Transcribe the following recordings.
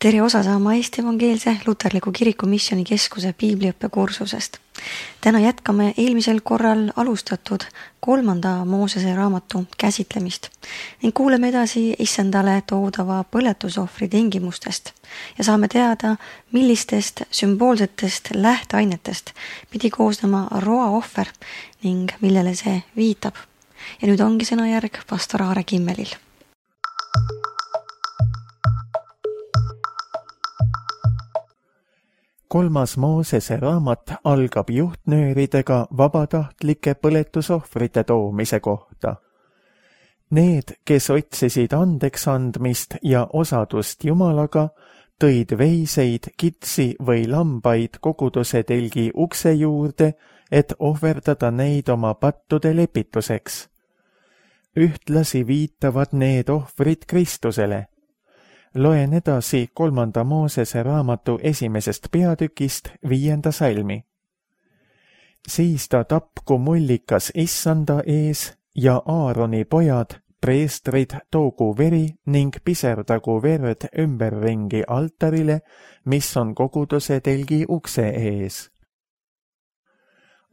Tere osa saama Eesti Evangeelse Luterliku Kiriku Missioonikeskuse piibliõppekursusest. Täna jätkame eelmisel korral alustatud 3. Moosese raamatu käsitlemist ning kuuleme edasi issandale toodava põletusohvri tingimustest ja saame teada, millistest sümboolsetest lähteainetest pidi koosnema roaohver ning millele see viitab. Ja nüüd ongi sõnajärg pastor Aare Kimmelil. Kolmas Moosese raamat algab juhtnööridega vabatahtlike põletusohvrite toomise kohta. Need, kes otsisid andeks andmist ja osadust Jumalaga, tõid veiseid, kitsi või lambaid koguduse telgi ukse juurde, et ohverdada neid oma pattude lepituseks. Ühtlasi viitavad need ohvrid Kristusele. Loen edasi 3. Moosese raamatu 1. peatükist 5. salmi. Siis ta tapku mullikas issanda ees ja Aaroni pojad, preestrid, toogu veri ning piserdagu verd ümberringi altarile, mis on koguduse telgi ukse ees.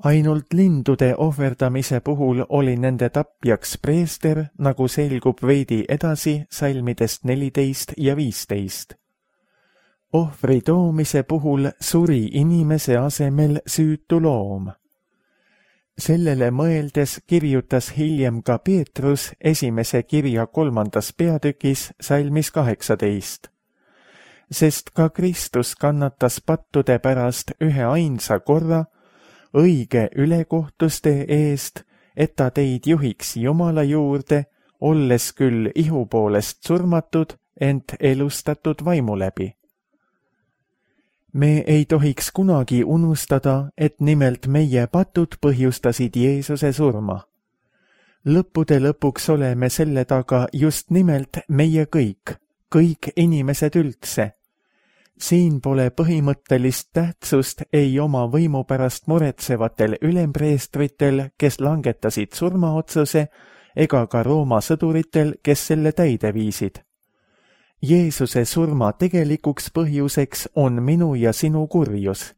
Ainult lindude ohverdamise puhul oli nende tapjaks preester, nagu selgub veidi edasi salmidest 14 ja 15. Ohvri toomise puhul suri inimese asemel süütu loom. Sellele mõeldes kirjutas hiljem ka Peetrus 1. kirja 3. peatükis salmis 18. Sest ka Kristus kannatas pattude pärast ühe ainsa korra, õige ülekohtuste eest, et ta teid juhiks Jumala juurde, olles küll ihu poolest surmatud, ent elustatud vaimu läbi. Me ei tohiks kunagi unustada, et nimelt meie patud põhjustasid Jeesuse surma. Lõppude lõpuks oleme selle taga just nimelt meie kõik inimesed üldse. Siin pole põhimõttelist tähtsust ei oma võimu pärast muretsevatel ülempreestritel, kes langetasid surmaotsuse, ega ka Rooma sõduritel, kes selle täide viisid. Jeesuse surma tegelikuks põhjuseks on minu ja sinu kurjus.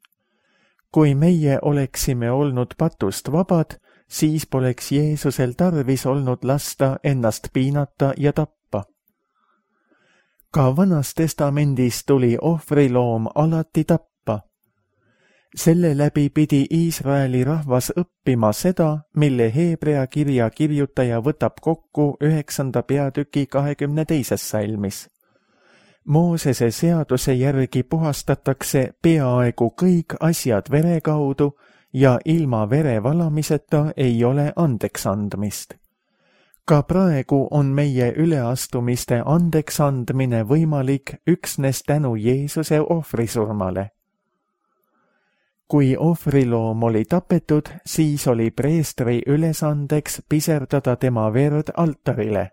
Kui meie oleksime olnud patust vabad, siis poleks Jeesusel tarvis olnud lasta ennast piinata ja tappa. Ka Vanas Testamendis tuli ohvriloom alati tappa. Selle läbi pidi Iisraeli rahvas õppima seda, mille Hebrea kirja kirjutaja võtab kokku 9. peatüki 22. salmis. Moosese seaduse järgi puhastatakse peaaegu kõik asjad vere kaudu ja ilma vere valamiseta ei ole andeks andmist. Ka praegu on meie üleastumiste andeks andmine võimalik üksnes tänu Jeesuse ohvrisurmale. Kui ohvriloom oli tapetud, siis oli preestri ülesandeks piserdada tema verd altarile.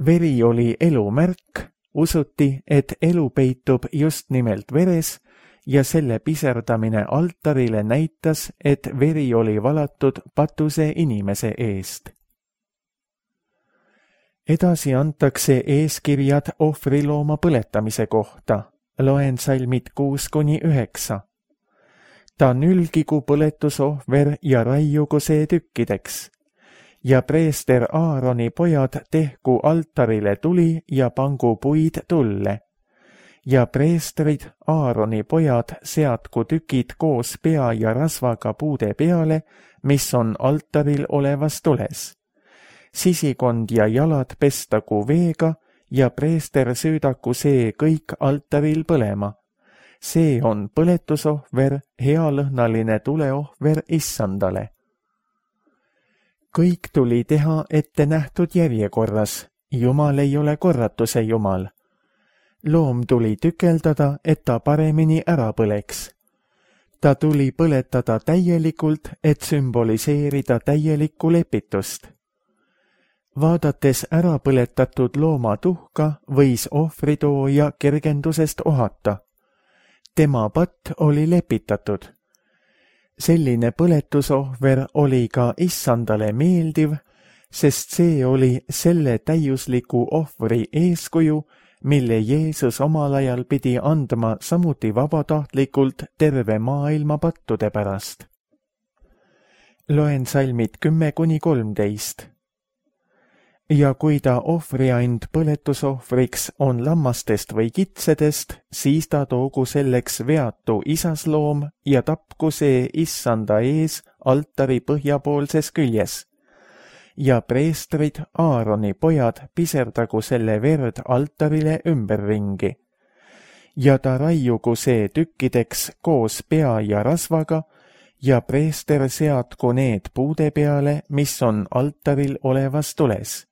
Veri oli elu märk, usuti, et elu peitub just nimelt veres ja selle piserdamine altarile näitas, et veri oli valatud patuse inimese eest. Edasi antakse eeskirjad ohvrilooma põletamise kohta. Loen salmid 6-9. Ta nülgigu põletusohver ja raiugu see tükkideks. Ja preester Aaroni pojad tehku altarile tuli ja pangu puid tulle. Ja preestrid Aaroni pojad seadku tükid koos pea ja rasvaga puude peale, mis on altaril olevas tules. Sisikond ja jalad pestagu veega ja preester süüdaku see kõik altaril põlema. See on põletusohver, healõhnaline tuleohver issandale. Kõik tuli teha ette nähtud järjekorras. Jumal ei ole korratuse Jumal. Loom tuli tükeldada, et ta paremini ära põleks. Ta tuli põletada täielikult, et sümboliseerida täielikku lepitust. Vaadates ära põletatud looma tuhka, võis ohvritooja kergendusest ohata. Tema patt oli lepitatud. Selline põletusohver oli ka issandale meeldiv, sest see oli selle täiusliku ohvri eeskuju, mille Jeesus omal ajal pidi andma samuti vabatahtlikult terve maailma pattude pärast. Loen salmid 10-13. Ja kui ta ohvriand põletusohvriks on lammastest või kitsedest, siis ta toogu selleks veatu isasloom ja tapku see issanda ees altari põhjapoolses küljes. Ja preestrid, Aaroni pojad, piserdagu selle verd altarile ümberringi. Ja ta raiugu see tükkideks koos pea ja rasvaga, ja preester seadku need puude peale, mis on altaril olevas tules.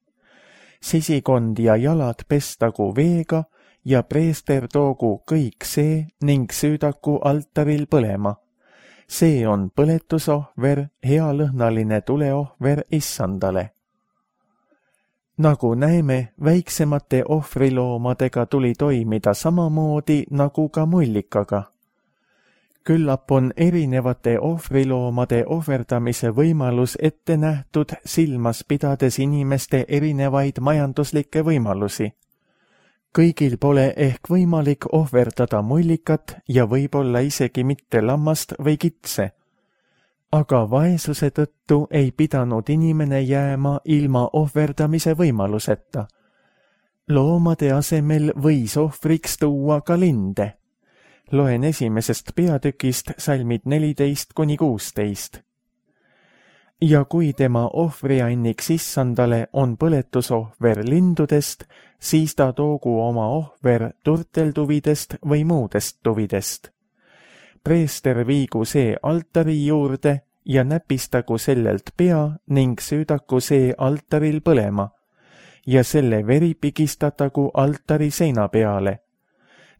Sisikond ja jalad pestagu veega ja preester toogu kõik see ning süüdaku altaril põlema. See on põletusohver, healõhnaline tuleohver issandale. Nagu näeme, väiksemate ohvriloomadega tuli toimida samamoodi nagu ka mullikaga. Küllap on erinevate ohvriloomade ohverdamise võimalus ette nähtud silmas pidades inimeste erinevaid majanduslikke võimalusi. Kõigil pole ehk võimalik ohverdada mullikat ja võib-olla isegi mitte lammast või kitse. Aga vaesuse tõttu ei pidanud inimene jääma ilma ohverdamise võimaluseta. Loomade asemel võis ohvriks tuua ka linde. Loen esimesest peatükist salmid 14-16. Ja kui tema ohvrianniks issandale on põletusohver lindudest, siis ta toogu oma ohver turteltuvidest või muudest tuvidest. Preester viigu see altari juurde ja näpistagu sellelt pea ning süüdaku see altaril põlema ja selle veri pigistatagu altari seina peale.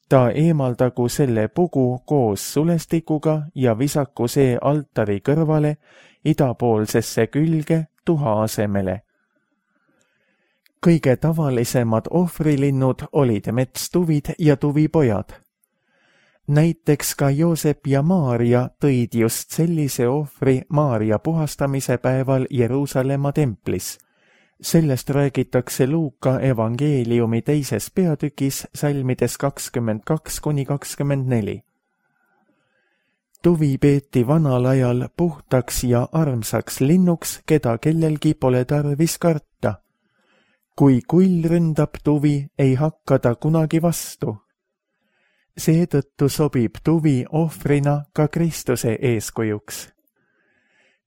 Ta eemaldagu selle pugu koos sulestikuga ja visaku see altari kõrvale idapoolsesse külge tuha asemele. Kõige tavalisemad ohvrilinnud olid metstuvid ja tuvipojad. Näiteks ka Joosep ja Maaria tõid just sellise ohvri Maaria puhastamise päeval Jeruusalemma templis. Sellest räägitakse Luuka evangeeliumi 2. peatükis salmides 22-24. Tuvi peeti vanal ajal puhtaks ja armsaks linnuks, keda kellelgi pole tarvis karta. Kui kull ründab tuvi, ei hakka ta kunagi vastu. Seetõttu sobib tuvi ohvrina ka Kristuse eeskujuks.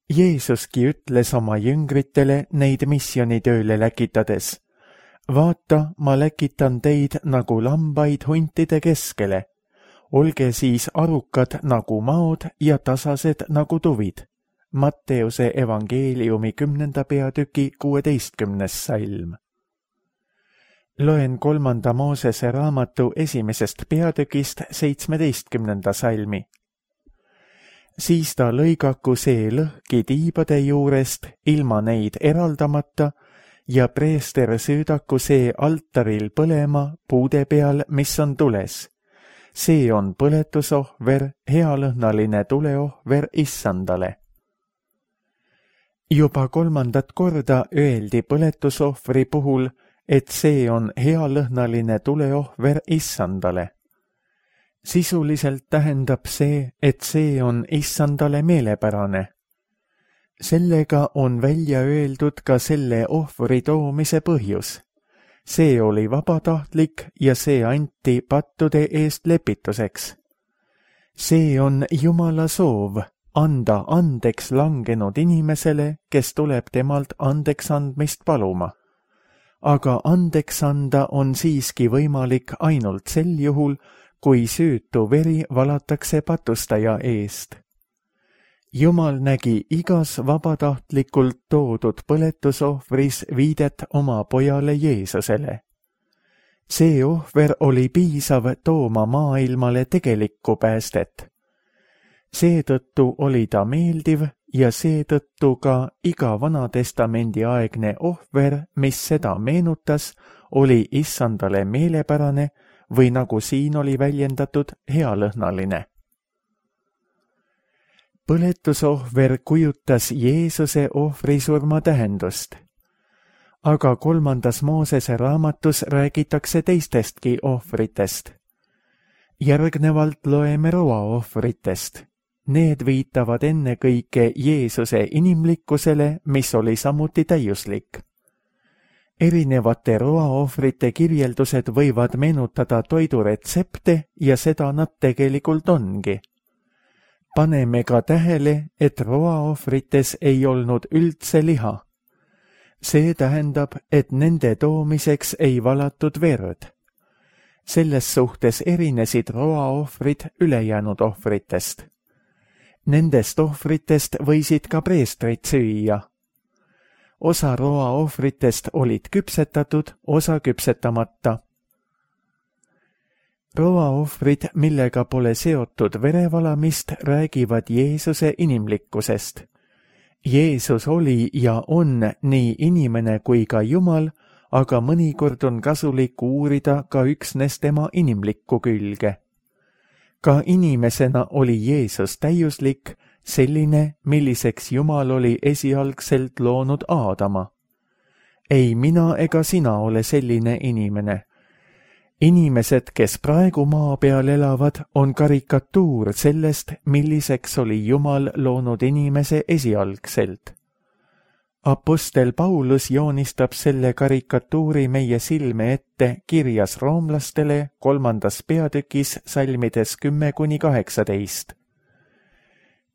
Jeesuski ütles oma jüngritele neid missionitööle läkitades. Vaata, ma läkitan teid nagu lambaid huntide keskele. Olge siis arukad nagu maod ja tasased nagu tuvid. Matteuse evangeeliumi 10. peatüki 16. salm. Loen 3. Moosese raamatu 1. peatükist 17. salmi. Siis ta lõigaku see lõhki tiibade juurest ilma neid eraldamata ja preester süüdaku see altaril põlema puude peal, mis on tules. See on põletusohver, healõhnaline tuleohver issandale. Juba 3. korda öeldi põletusohvri puhul, et see on healõhnaline tuleohver issandale. Sisuliselt tähendab see, et see on issandale meelepärane. Sellega on välja öeldud ka selle ohvri toomise põhjus. See oli vabatahtlik ja see anti pattude eest lepituseks. See on Jumala soov anda andeks langenud inimesele, kes tuleb temalt andeks andmist paluma. Aga andeks anda on siiski võimalik ainult sel juhul, kui süütu veri valatakse patustaja eest. Jumal nägi igas vabatahtlikult toodud põletusohvris viidet oma pojale Jeesusele. See ohver oli piisav tooma maailmale tegelikku päästet. Seetõttu oli ta meeldiv ja seetõttu ka iga Vanatestamendi aegne ohver, mis seda meenutas, oli issandale meelepärane või nagu siin oli väljendatud, healõhnaline. Põletusohver kujutas Jeesuse ohvrisurma tähendust. aga 3. Moosese raamatus räägitakse teistestki ohvritest. Järgnevalt loeme roaohvritest. Need viitavad ennekõike Jeesuse inimlikkusele, mis oli samuti täiuslik. Erinevate roaohvrite kirjeldused võivad meenutada toiduretsepte ja seda nad tegelikult ongi. Paneme ka tähele, et roaohvrites ei olnud üldse liha. See tähendab, et nende toomiseks ei valatud verd. Selles suhtes erinesid roaohvrid ülejäänud ohvritest. Nendest ohvritest võisid ka preestrid süüa. Osa roaohvritest olid küpsetatud, osa küpsetamata. Roaohvrid, millega pole seotud verevalamist, räägivad Jeesuse inimlikkusest. Jeesus oli ja on nii inimene kui ka Jumal, aga mõnikord on kasulik uurida ka üksnes tema inimlikku külge. Ka inimesena oli Jeesus täiuslik, selline, milliseks Jumal oli esialgselt loonud Aadama. Ei mina ega sina ole selline inimene. Inimesed, kes praegu maa peal elavad, on karikatuur sellest, milliseks oli Jumal loonud inimese esialgselt. Apostel Paulus joonistab selle karikatuuri meie silme ette kirjas roomlastele 3. peatükis salmides 10–18.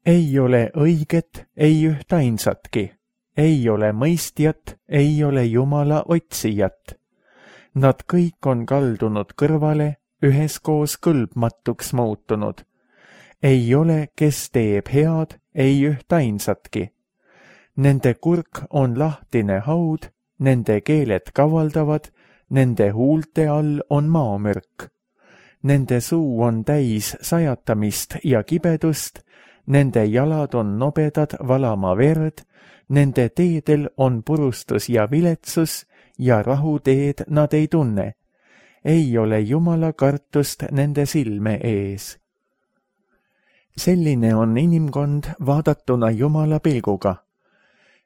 Ei ole õiget, ei ühtainsatki, ei ole mõistjat, ei ole Jumala otsijat. Nad kõik on kaldunud kõrvale, üheskoos kõlbmatuks muutunud. Ei ole, kes teeb head, ei ühtainsatki. Nende kurk on lahtine haud, nende keeled kavaldavad, nende huulte all on maamürk. Nende suu on täis sajatamist ja kibedust, nende jalad on nobedad valama verd, nende teedel on purustus ja viletsus ja rahuteed nad ei tunne. Ei ole Jumala kartust nende silme ees. Selline on inimkond vaadatuna Jumala pilguga.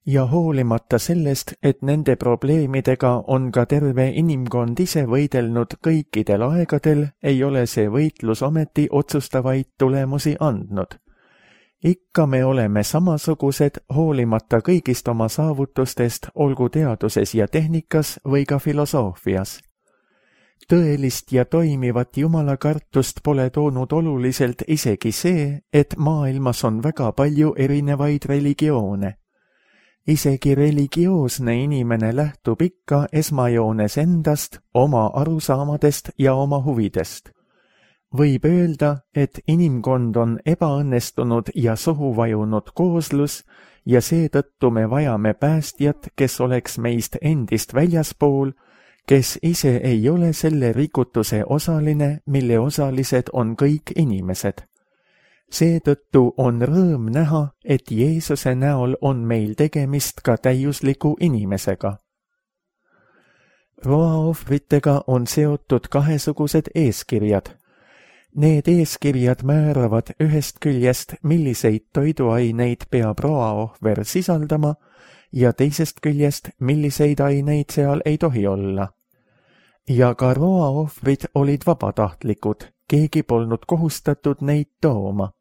Ja hoolimata sellest, et nende probleemidega on ka terve inimkond ise võidelnud kõikidel aegadel, ei ole see võitlus ometi otsustavaid tulemusi andnud. Ikka me oleme samasugused hoolimata kõigist oma saavutustest, olgu teaduses ja tehnikas või ka filosoofias. Tõelist ja toimivat Jumala kartust pole toonud oluliselt isegi see, et maailmas on väga palju erinevaid religioone. Isegi religioosne inimene lähtub ikka esmajoones endast, oma arusaamadest ja oma huvidest. Võib öelda, et inimkond on ebaõnnestunud ja sohu vajunud kooslus ja seetõttu me vajame päästjat, kes oleks meist endist väljaspool, kes ise ei ole selle rikutuse osaline, mille osalised on kõik inimesed. Seetõttu on rõõm näha, et Jeesuse näol on meil tegemist ka täiusliku inimesega. Roaohvritega on seotud kahesugused eeskirjad. Need eeskirjad määravad ühest küljest, milliseid toiduaineid peab roaohver sisaldama ja teisest küljest, milliseid aineid seal ei tohi olla. Ja ka roaohvrid olid vabatahtlikud, keegi polnud kohustatud neid tooma.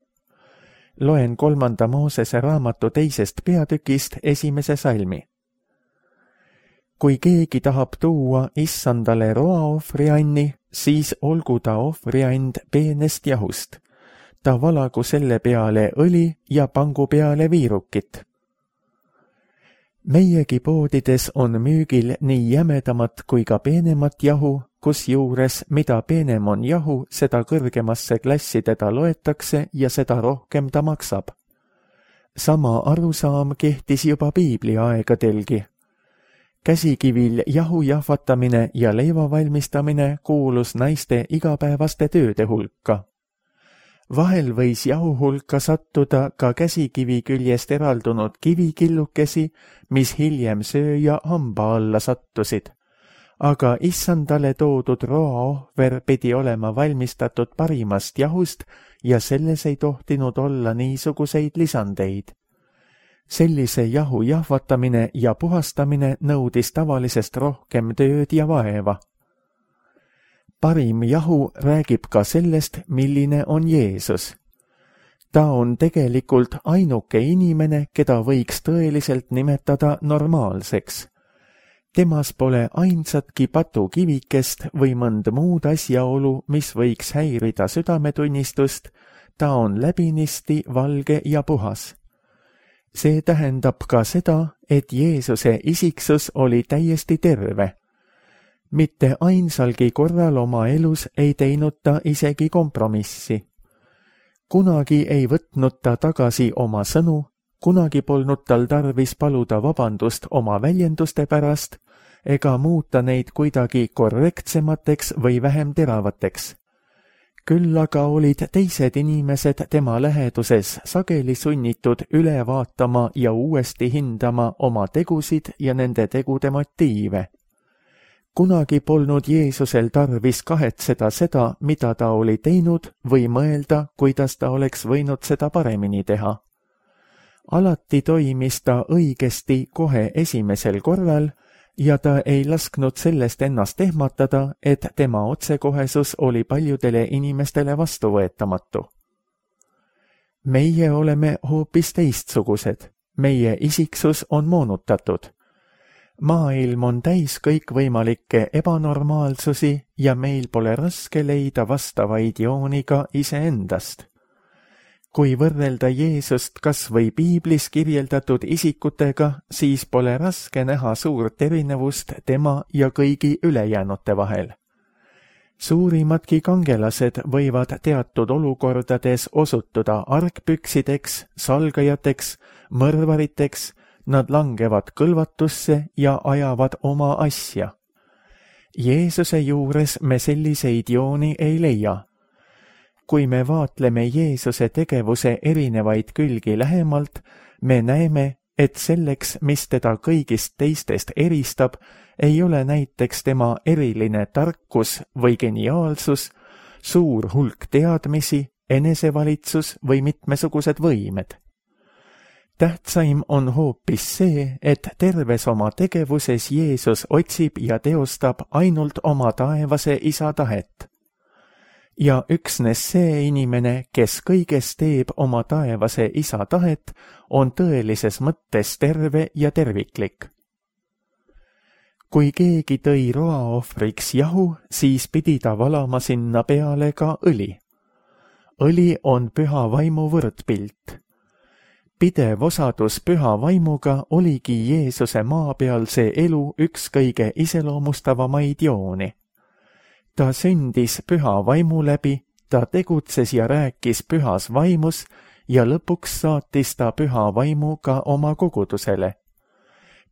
Loen 3. Moosese raamatu 2. peatükist 1. salmi. Kui keegi tahab tuua issandale roaohvrianni, siis olgu ta ohvriand peenest jahust. Ta valagu selle peale õli ja pangu peale viirukit. Meiegi poodides on müügil nii jämedamat kui ka peenemat jahu, kusjuures mida peenem on jahu, seda kõrgemasse klassi teda loetakse ja seda rohkem ta maksab. Sama arusaam kehtis juba Piibli aegadelgi. Käsikivil jahu jahvatamine ja leiva valmistamine kuulus naiste igapäevaste tööde hulka. Vahel võis jahu hulka sattuda ka käsikivi küljest eraldunud kivikillukesi, mis hiljem sööja hamba alla sattusid. Aga issandale toodud roaohver pidi olema valmistatud parimast jahust ja selles ei tohtinud olla niisuguseid lisandeid. Sellise jahu jahvatamine ja puhastamine nõudis tavalisest rohkem tööd ja vaeva. Parim jahu räägib ka sellest, milline on Jeesus. Ta on tegelikult ainuke inimene, keda võiks tõeliselt nimetada normaalseks. Temas pole ainsatki patukivikest või mõnd muud asjaolu, mis võiks häirida südametunnistust, ta on läbinisti valge ja puhas. See tähendab ka seda, et Jeesuse isiksus oli täiesti terve. Mitte ainsalgi korral oma elus ei teinud ta isegi kompromissi. Kunagi ei võtnud ta tagasi oma sõnu, kunagi polnud tal tarvis paluda vabandust oma väljenduste pärast ega muuta neid kuidagi korrektsemateks või vähem teravateks. Küll aga olid teised inimesed tema läheduses sageli sunnitud üle vaatama ja uuesti hindama oma tegusid ja nende tegude motiive. Kunagi polnud Jeesusel tarvis kahetseda seda, mida ta oli teinud või mõelda, kuidas ta oleks võinud seda paremini teha. Alati toimis ta õigesti kohe esimesel korral ja ta ei lasknud sellest ennast ehmatada, et tema otsekohesus oli paljudele inimestele vastuvõetamatu. Meie oleme hoopis teistsugused, meie isiksus on moonutatud. Maailm on täis kõikvõimalikke ebanormaalsusi ja meil pole raske leida vastavaid jooni ka iseendast. Kui võrrelda Jeesust kas või piiblis kirjeldatud isikutega, siis pole raske näha suurt erinevust tema ja kõigi ülejäänute vahel. Suurimadki kangelased võivad teatud olukordades osutuda argpüksideks, salgajateks, mõrvariteks, nad langevad kõlvatusse ja ajavad oma asja. Jeesuse juures me selliseid jooni ei leia. Kui me vaatleme Jeesuse tegevuse erinevaid külgi lähemalt, me näeme, et selleks, mis teda kõigist teistest eristab, ei ole näiteks tema eriline tarkus või geniaalsus, suur hulk teadmisi, enesevalitsus või mitmesugused võimed. Tähtsaim on hoopis see, et terves oma tegevuses Jeesus otsib ja teostab ainult oma taevase isa tahet. Ja üksnes see inimene, kes kõiges teeb oma taevase isa tahet, on tõelises mõttes terve ja terviklik. Kui keegi tõi roaohvriks jahu, siis pidi ta valama sinna peale ka õli. Õli on püha vaimu võrdpilt. Pidev osadus püha vaimuga oligi Jeesuse maapealse elu üks kõige iseloomustavamaid jooni. Ta sündis püha vaimu läbi, ta tegutses ja rääkis pühas vaimus ja lõpuks saatis ta püha vaimu ka oma kogudusele.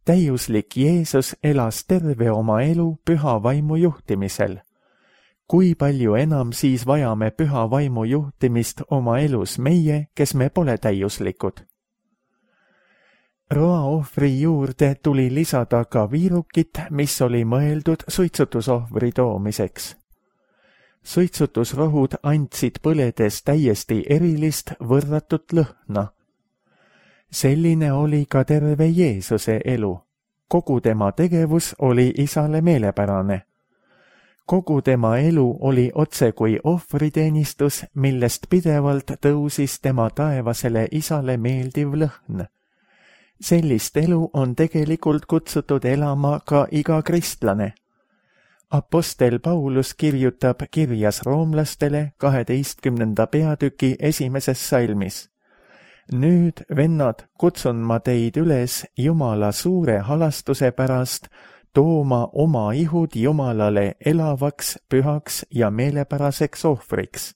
Täiuslik Jeesus elas terve oma elu püha vaimu juhtimisel. Kui palju enam siis vajame püha vaimu juhtimist oma elus meie, kes me pole täiuslikud? Roaohvri juurde tuli lisada ka viirukit, mis oli mõeldud suitsutusohvri toomiseks. Suitsutusrohud andsid põledes täiesti erilist võrratut lõhna. Selline oli ka terve Jeesuse elu. Kogu tema tegevus oli isale meelepärane. Kogu tema elu oli otse kui ohvriteenistus, millest pidevalt tõusis tema taevasele isale meeldiv lõhn. Sellist elu on tegelikult kutsutud elama ka iga kristlane. Apostel Paulus kirjutab kirjas roomlastele 12. peatüki 1. salmis. Nüüd, vennad, kutsun ma teid üles Jumala suure halastuse pärast tooma oma ihud Jumalale elavaks, pühaks ja meelepäraseks ohvriks.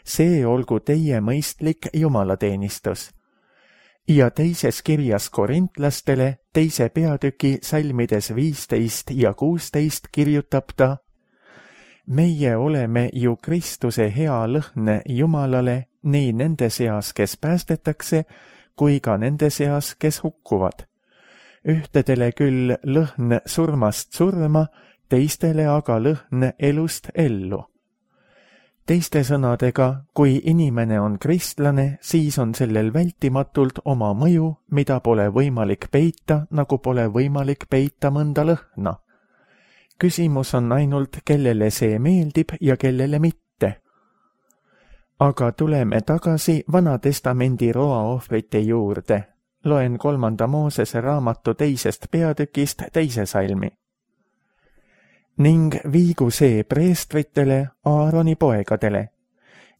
See olgu teie mõistlik jumalateenistus. Ja teises kirjas korintlastele 2. peatüki salmides 15 ja 16 kirjutab ta: Meie oleme ju Kristuse hea lõhn Jumalale nii nende seas, kes päästetakse, kui ka nende seas, kes hukkuvad. Ühtedele küll lõhn surmast surma, teistele aga lõhn elust ellu. Teiste sõnadega, kui inimene on kristlane, siis on sellel vältimatult oma mõju, mida pole võimalik peita, nagu pole võimalik peita mõnda lõhna. Küsimus on ainult, kellele see meeldib ja kellele mitte. Aga tuleme tagasi Vana-testamendi roaohvrite juurde. Loen 3. Moosese raamatu 2. peatükist 2. salmi. Ning viigu see preestritele, Aaroni poegadele,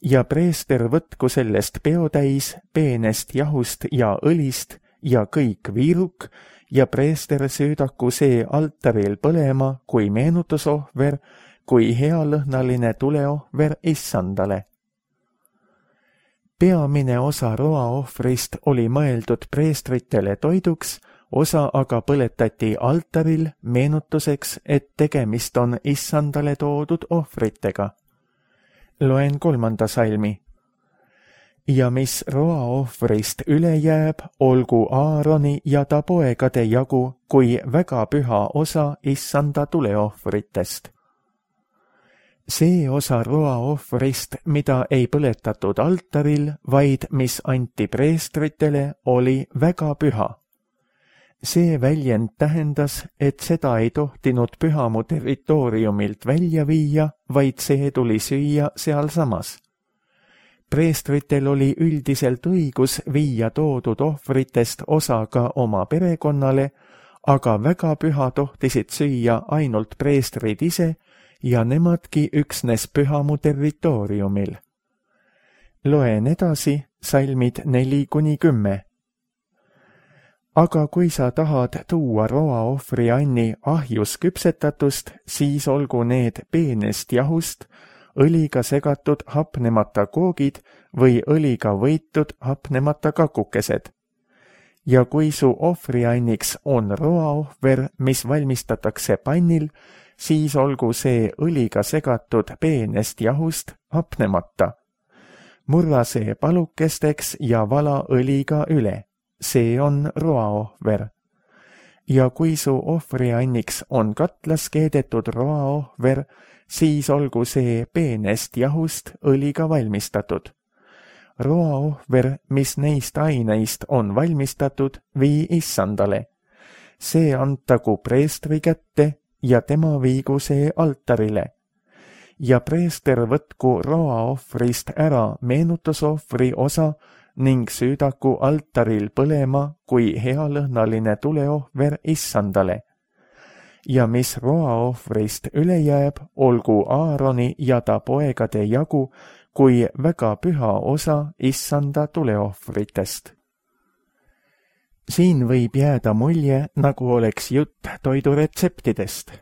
ja preester võtku sellest peotäis peenest jahust ja õlist ja kõik viiruk, ja preester süüdaku see altaril põlema kui meenutusohver, kui healõhnaline tuleohver Issandale. Peamine osa roaohvrist oli mõeldud preestritele toiduks, osa aga põletati altaril meenutuseks, et tegemist on Issandale toodud ohvritega. Loen 3. salmi. Ja mis roaohvrist üle jääb, olgu Aaroni ja ta poegade jagu kui väga püha osa Issanda tuleohvritest. See osa roaohvrist, mida ei põletatud altaril, vaid mis anti preestritele, oli väga püha. See väljend tähendas, et seda ei tohtinud pühamu territooriumilt välja viia, vaid see tuli süüa sealsamas. Preestritel oli üldiselt õigus viia toodud ohvritest osa ka oma perekonnale, aga väga püha tohtisid süüa ainult preestrid ise ja nemadki üksnes pühamu territooriumil. Loen edasi salmid 4-10. Aga kui sa tahad tuua roaohvri anni ahjus küpsetatust, siis olgu need peenest jahust, õliga segatud hapnemata koogid või õliga võitud hapnemata kakukesed. Ja kui su ohvrianniks on roaohver, mis valmistatakse pannil, siis olgu see õliga segatud peenest jahust hapnemata. Murra see palukesteks ja vala õliga üle. See on roaohver. Ja kui su ohvrianniks on katlas keedetud roaohver, siis olgu see peenest jahust õliga valmistatud. Roaohver, mis neist aineist on valmistatud, vii Issandale. See antagu preestri kätte ja tema viigu see altarile. Ja preester võtku roaohvrist ära meenutusohvri osa ning süüdaku altaril põlema kui healõhnaline tuleohver Issandale. Ja mis roaohvrist üle jääb, olgu Aaroni ja ta poegade jagu kui väga püha osa Issanda tuleohvritest. Siin võib jääda mulje, nagu oleks jutt toiduretseptidest.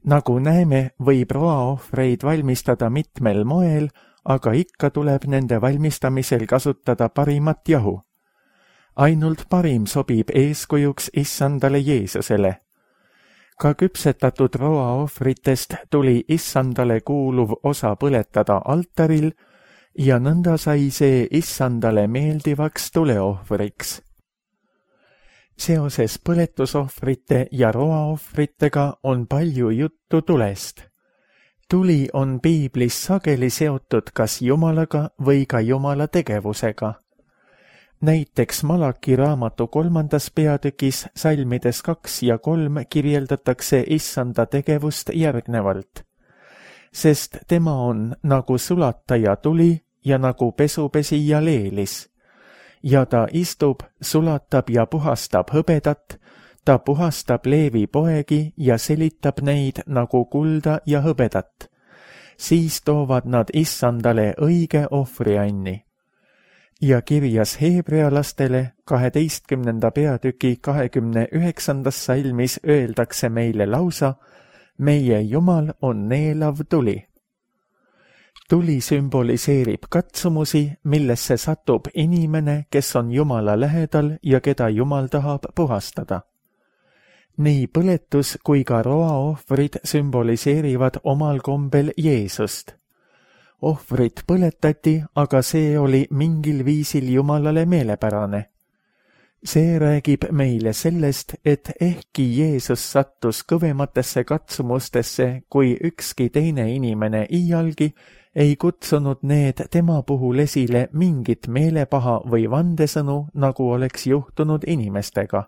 Nagu näeme, võib roaohvreid valmistada mitmel moel, aga ikka tuleb nende valmistamisel kasutada parimat jahu. Ainult parim sobib eeskujuks Issandale Jeesusele. Ka küpsetatud roaohvritest tuli Issandale kuuluv osa põletada altaril ja nõnda sai see Issandale meeldivaks tuleohvriks. Seoses põletusohvrite ja roaohvritega on palju juttu tulest. Tuli on piiblis sageli seotud kas Jumalaga või ka Jumala tegevusega. Näiteks Malaki raamatu 3. peatükis salmides 2 ja 3 kirjeldatakse Issanda tegevust järgnevalt. Sest tema on nagu sulataja tuli ja nagu pesupesija leelis. Ja ta istub, sulatab ja puhastab hõbedat, ta puhastab Leevi poegi ja selitab neid nagu kulda ja hõbedat. Siis toovad nad Issandale õige ohvrianni. Ja kirjas heebrealastele 12. peatüki 29. salmis öeldakse meile lausa, meie Jumal on neelav tuli. Tuli sümboliseerib katsumusi, millesse satub inimene, kes on Jumala lähedal ja keda Jumal tahab puhastada. Nii põletus kui ka roaohvrid sümboliseerivad omal kombel Jeesust. Ohvrit põletati, aga see oli mingil viisil Jumalale meelepärane. See räägib meile sellest, et ehkki Jeesus sattus kõvematesse katsumustesse kui ükski teine inimene iialgi, ei kutsunud need tema puhul esile mingit meelepaha või vandesõnu, nagu oleks juhtunud inimestega.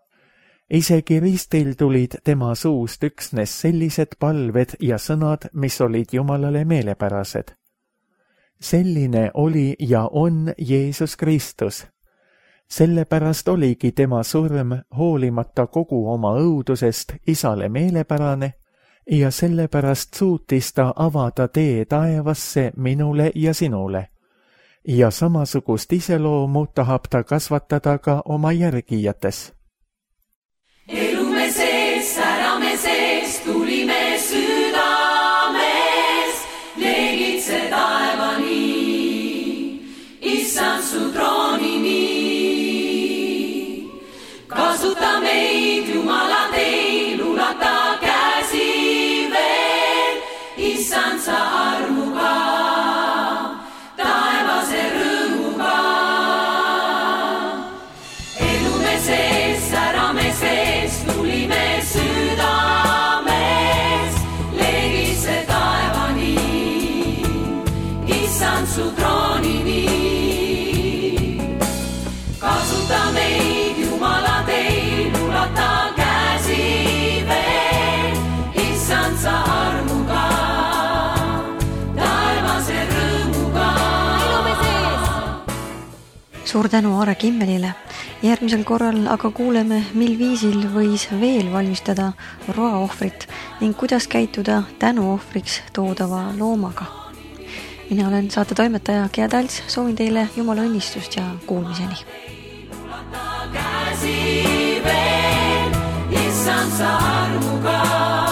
Isegi ristil tulid tema suust üksnes sellised palved ja sõnad, mis olid Jumalale meelepärased. Selline oli ja on Jeesus Kristus. Sellepärast oligi tema surm hoolimata kogu oma õudusest Isale meelepärane ja sellepärast suutis ta avada tee taevasse minule ja sinule. Ja samasugust iseloomu tahab ta kasvatada ka oma järgijates. Elume sees, särame sees, tulime südames, leegitse taevani, issand su troonini. Kasuta meid, Jumala teil, ulata käsi veel, issand sa armuga, taevase rõõmuga. Elume sees, särame sees, tulime südames, leegitse taevani, issand su troonini. Kasuta meid, Jumala teil, ulata käsi veel, issand sa armuga, taevase rõõmuga. Elume sees! Suur tänu Aare Kimmelile. Järgmisel korral aga kuuleme, mil viisil võis veel valmistada roaohvrit ning kuidas käituda tänuohvriks toodava loomaga. Mina olen saate toimetaja Gea Talts, soovin teile Jumala õnnistust ja kuulmiseni. Käsi veel, issand sa armuga.